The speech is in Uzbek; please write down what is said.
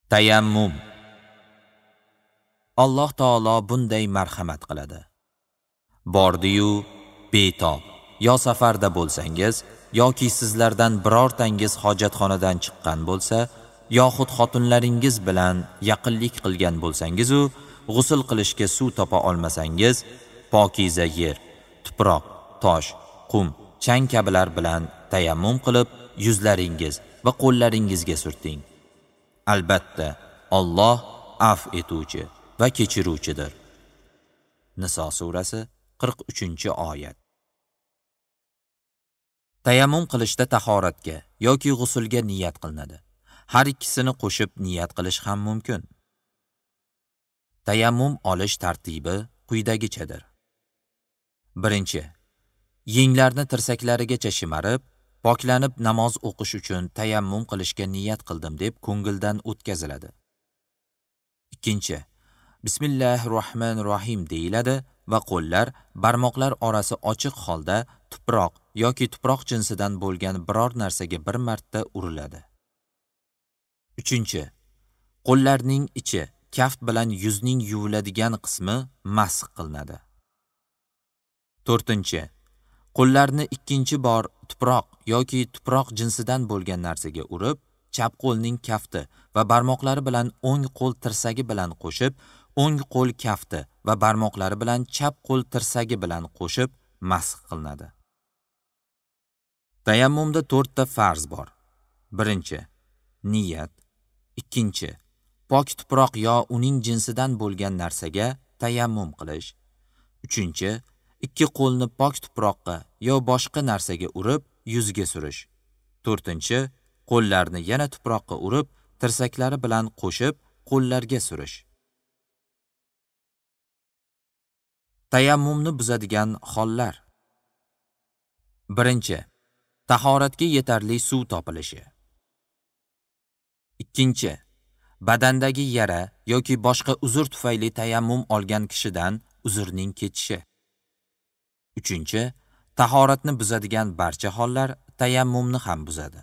Tayammum. Alloh taolo bunday marhamat qiladi. Bordi-yu betob yo safarda bo'lsangiz yoki sizlardan birortangiz hojatxonadan chiqqan bo'lsa, yoxud xotinlaringiz bilan yaqinlik qilgan bo'lsangiz u g'usl qilishga suv topa olmasangiz, pokiza yer, tuproq, tosh, qum, chang kabilar bilan tayammum qilib yuzlaringiz va qo'llaringizga surting. Albatta, Alloh af etuvchi va kechiruvchidir. Niso surasi 43-oyat. Tayammum qilishda tahoratga yoki g'usulga niyat qilinadi. Har ikkisini qo'shib niyat qilish ham mumkin. Tayammum olish tartibi quyidagichadir. 1. Yenglarni tirsaklarigacha shimarib, poklanib namoz o'qish uchun tayammum qilishga niyat qildim deb ko'ngildan o'tkaziladi. 2. Bismillahirrohmanirrohim deyiladi va qo'llar barmoqlar orasi ochiq holda tuproq yoki tuproq jinsidan bo'lgan biror narsaga bir marta uriladi. 3. Qo'llarning ichi, kaft bilan yuzning yuviladigan qismi masx qilinadi. 4. Qo'llarni ikkinchi bor tuproq yoki tuproq jinsidan bo'lgan narsaga urib, chap qo'lning kafti va barmoqlari bilan o'ng qo'l tirsagi bilan qo'shib, o'ng qo'l kafti va barmoqlari bilan chap qo'l tirsagi bilan qo'shib masx qilinadi. Tayammumda 4 ta farz bor. 1. Niyat. 2. Pok tuproq yo uning jinsidan bo'lgan narsaga tayammum qilish. 3. Ikki qo'lni pok tuproqqa yo boshqa narsaga urib, yuzga surish. 4. Qo'llarni yana tuproqqa urib, tirsaklari bilan qo'shib, qo'llarga surish. Tayammumni buzadigan hollar. 1. Tahoratga yetarli suv topilishi. 2. Badandagi yara yoki boshqa uzr tufayli tayammum olgan kishidan uzrning ketishi. 3. Tahoratni buzadigan barcha hollar tayammumni ham buzadi.